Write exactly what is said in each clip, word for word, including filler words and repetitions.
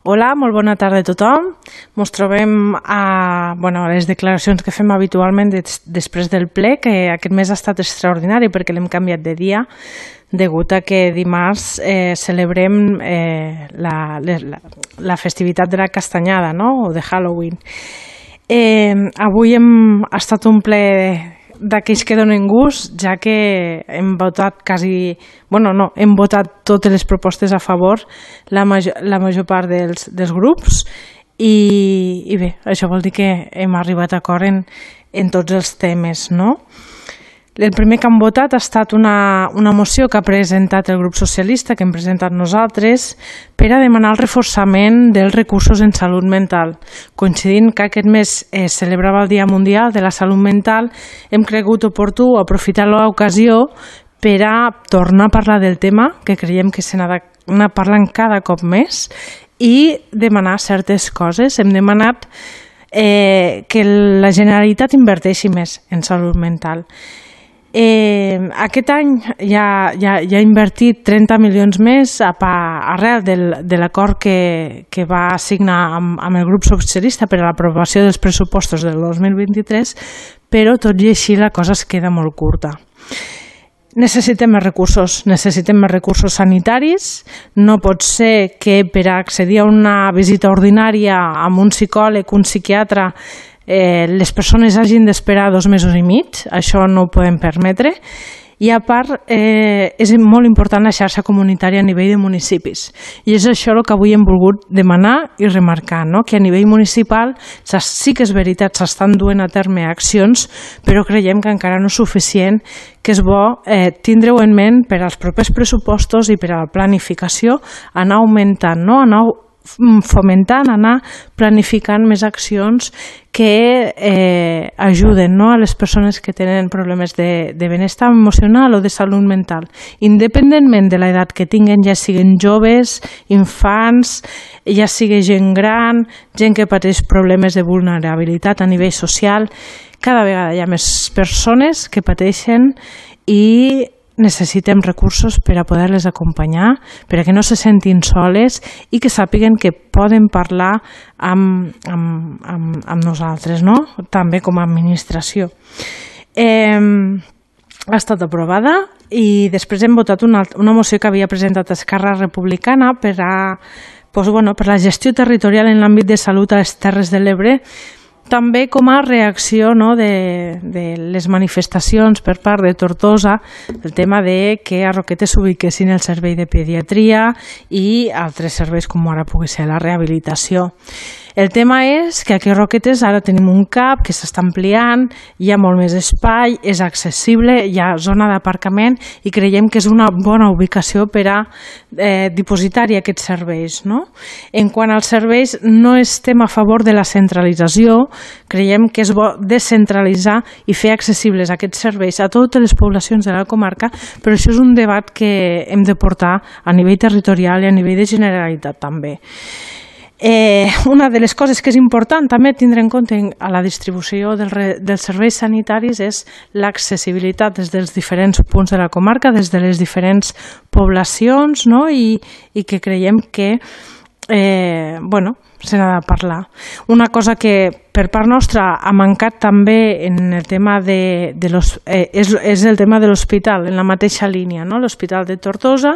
Hola, molt bona tarda a tothom. Ens trobem a, bueno, a les declaracions que fem habitualment des, després del ple, que aquest mes ha estat extraordinari perquè l'hem canviat de dia, degut a que dimarts eh, celebrem eh, la, la, la festivitat de la castanyada, no? O de Halloween. Eh, avui hem estat un ple d'aquells que donen gust, ja que hem votat quasi, bueno, no, hem votat totes les propostes a favor, la major, la major part dels, dels grups, i, i bé, això vol dir que hem arribat a acord en, en tots els temes, no? El primer que han votat ha estat una, una moció que ha presentat el grup socialista, que hem presentat nosaltres, per a demanar el reforçament dels recursos en salut mental. Coincidint que aquest mes es celebrava el Dia Mundial de la Salut Mental, hem cregut oportú aprofitar l'ocasió per a tornar a parlar del tema, que creiem que se n'ha d'anar parlant cada cop més, i demanar certes coses. Hem demanat eh, que la Generalitat inverteixi més en salut mental. Eh, aquest any ja, ja, ja ha invertit trenta milions més a, a, arrel del, de l'acord que, que va signar amb, amb el grup socialista per a l'aprovació dels pressupostos del dos mil vint-i-tres, però tot i així la cosa es queda molt curta. Necessitem més recursos, necessitem més recursos sanitaris. No pot ser que per accedir a una visita ordinària amb un psicòleg, un psiquiatre, Eh, les persones hagin d'esperar dos mesos i mig, això no ho podem permetre, i a part eh, és molt important la xarxa comunitària a nivell de municipis, i és això el que avui hem volgut demanar i remarcar, no? Que a nivell municipal sí que és veritat, s'estan duent a terme accions, però creiem que encara no és suficient, que és bo eh, tindre-ho en ment per als propers pressupostos i per a la planificació, anar augmentant, no? anar fomentant, anar planificant més accions que eh, ajuden, no? A les persones que tenen problemes de, de benestar emocional o de salut mental, independentment de l'edat que tinguen, ja siguin joves, infants, ja sigui gent gran, gent que pateix problemes de vulnerabilitat a nivell social. Cada vegada hi ha més persones que pateixen i necessitem recursos per a poder-les acompanyar, per a que no se sentin soles i que sàpiguen que poden parlar amb, amb, amb, amb nosaltres, no? També com a administració. Eh, ha estat aprovada i després hem votat una, una moció que havia presentat Esquerra Republicana per a, doncs, bueno, per la gestió territorial en l'àmbit de salut a les Terres de l'Ebre, també com a reacció, no, de, de les manifestacions per part de Tortosa, el tema de que a Roquetes s'ubiquessin el servei de pediatria i altres serveis com ara pugui ser la rehabilitació. El tema és que aquí a Roquetes ara tenim un CAP que s'està ampliant, hi ha molt més espai, és accessible, hi ha zona d'aparcament i creiem que és una bona ubicació per a eh, dipositar-hi aquests serveis, no? En quant als serveis, no estem a favor de la centralització, creiem que és bo descentralitzar i fer accessibles aquests serveis a totes les poblacions de la comarca, però això és un debat que hem de portar a nivell territorial i a nivell de Generalitat també. Eh, una de les coses que és important també tindre en compte a la distribució del re, dels serveis sanitaris és l'accessibilitat des dels diferents punts de la comarca, des de les diferents poblacions, no? I, i que creiem que eh, bueno, se n'ha de parlar. Una cosa que per part nostra ha mancat també en el tema de, de los, eh, és, és el tema de l'hospital, en la mateixa línia, no? L'hospital de Tortosa,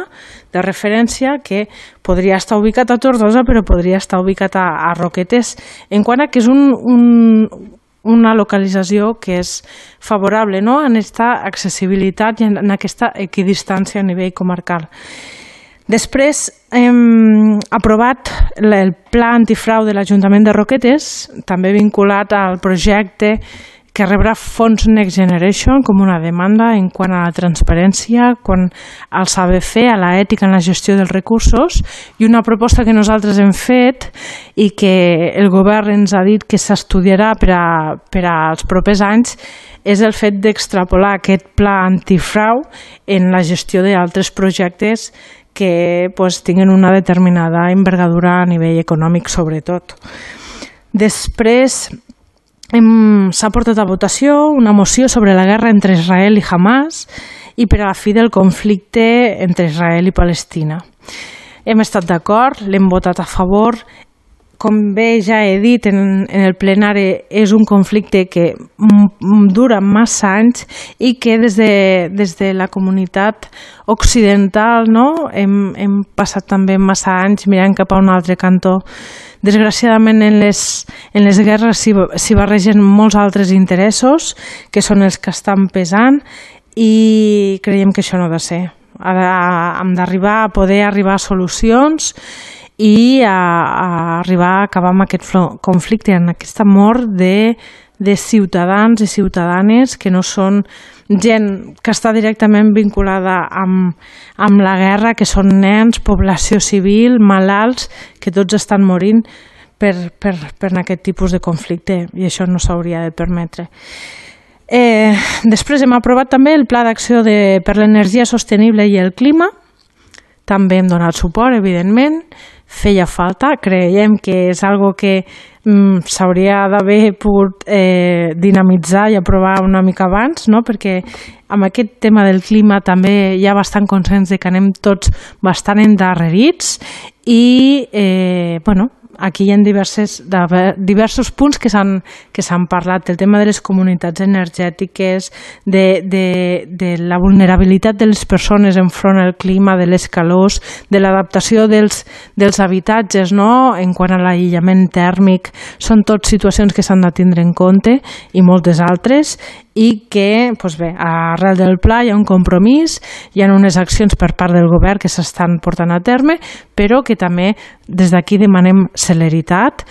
de referència, que podria estar ubicat a Tortosa però podria estar ubicat a, a Roquetes, en quant a que és un, un, una localització que és favorable, no? En aquesta accessibilitat i en aquesta equidistància a nivell comarcal. Després hem aprovat el pla antifrau de l'Ajuntament de Roquetes, també vinculat al projecte que rebrà fons Next Generation com una demanda en quant a la transparència, quant al saber fer, a l'ètica en la gestió dels recursos, i una proposta que nosaltres hem fet i que el govern ens ha dit que s'estudiarà per, a, per als propers anys és el fet d'extrapolar aquest pla antifrau en la gestió d'altres projectes que pues, tinguin una determinada envergadura a nivell econòmic, sobretot. Després s'ha portat a votació una moció sobre la guerra entre Israel i Hamas i per a la fi del conflicte entre Israel i Palestina. hem estat d'acord, l'hem votat a favor. Com bé ja he dit en, en el plenari, és un conflicte que dura massa anys i que des de, des de la comunitat occidental, no, hem, hem passat també massa anys mirant cap a un altre cantó. Desgraciadament en les, en les guerres s'hi barregen molts altres interessos que són els que estan pesant i creiem que això no ha de ser. Ara hem d'arribar a poder arribar a solucions i a, a arribar a acabar amb aquest conflicte, en aquesta mort de, de ciutadans i ciutadanes que no són gent que està directament vinculada amb, amb la guerra, que són nens, població civil, malalts, que tots estan morint per, per, per aquest tipus de conflicte i això no s'hauria de permetre. Eh, després hem aprovat també el Pla d'Acció per l'Energia Sostenible i el Clima. També hem donat suport, evidentment. Feia falta, creiem que és algo que mm, s'hauria d'haver pogut eh, dinamitzar i aprovar una mica abans, no? Perquè amb aquest tema del clima també hi ha bastant consens de que anem tots bastant endarrerits i eh, bueno, aquí hi ha diverses, diversos punts que s'han que s'han parlat, el tema de les comunitats energètiques, de, de, de la vulnerabilitat de les persones enfront al clima, de les calors, de l'adaptació dels, dels habitatges, no? En quant a l'aïllament tèrmic, són tot situacions que s'han de tindre en compte i moltes altres i que, doncs bé, arrel del pla hi ha un compromís, hi ha unes accions per part del govern que s'estan portant a terme, però que també des d'aquí demanem celeritat,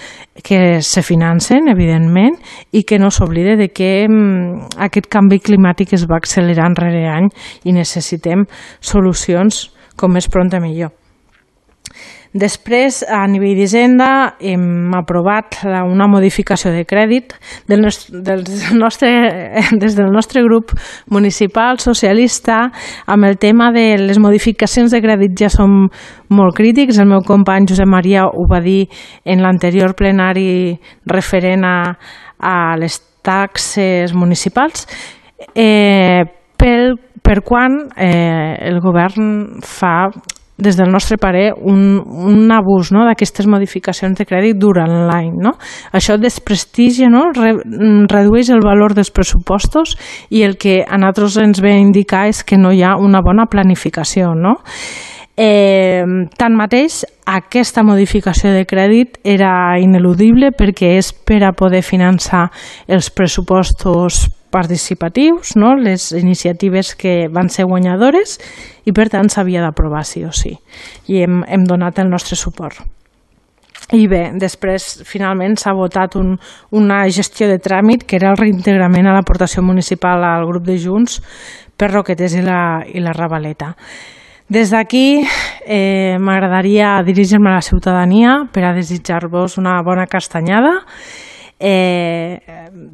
que se financen, evidentment, i que no s'oblide de que mm, aquest canvi climàtic es va accelerant rere any i necessitem solucions com més pront millor. Després, a nivell d'Hisenda, hem aprovat una modificació de crèdit del nostre, del nostre, des del nostre grup municipal socialista amb el tema de les modificacions de crèdit ja som molt crítics. El meu company Josep Maria ho va dir en l'anterior plenari referent a, a les taxes municipals. Eh, per, per quan eh, el govern fa, des del nostre parer, un, un abús, no?, d'aquestes modificacions de crèdit durant l'any. No? Això desprestigia, no?, Re, redueix el valor dels pressupostos i el que a nosaltres ens ve a indicar és que no hi ha una bona planificació. No? Eh, tanmateix, aquesta modificació de crèdit era ineludible perquè és per a poder finançar els pressupostos participatius, no? Les iniciatives que van ser guanyadores i per tant s'havia d'aprovar sí o sí i hem, hem donat el nostre suport. I bé, després finalment s'ha votat un, una gestió de tràmit que era el reintegrament a l'aportació municipal al grup de Junts per Roquetes i la, i la Ravaleta. Des d'aquí eh, m'agradaria dirigir-me a la ciutadania per a desitjar-vos una bona castanyada. Eh,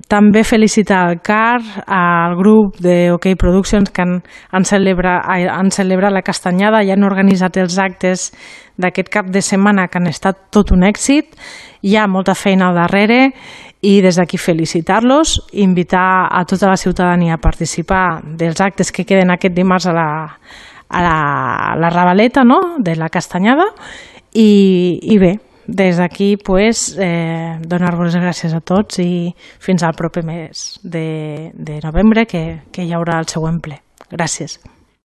també felicitar al C A R, al grup de OK Productions que han, han, celebra, han celebrat la castanyada i han organitzat els actes d'aquest cap de setmana que han estat tot un èxit. Hi ha molta feina al darrere i des d'aquí felicitar-los, invitar a tota la ciutadania a participar dels actes que queden aquest dimarts a la, a la, a la Ravaleta, no?, de la castanyada i, i bé, des d'aquí pues, eh, donar-vos les gràcies a tots i fins al proper mes de, de novembre que, que hi haurà el següent ple. Gràcies.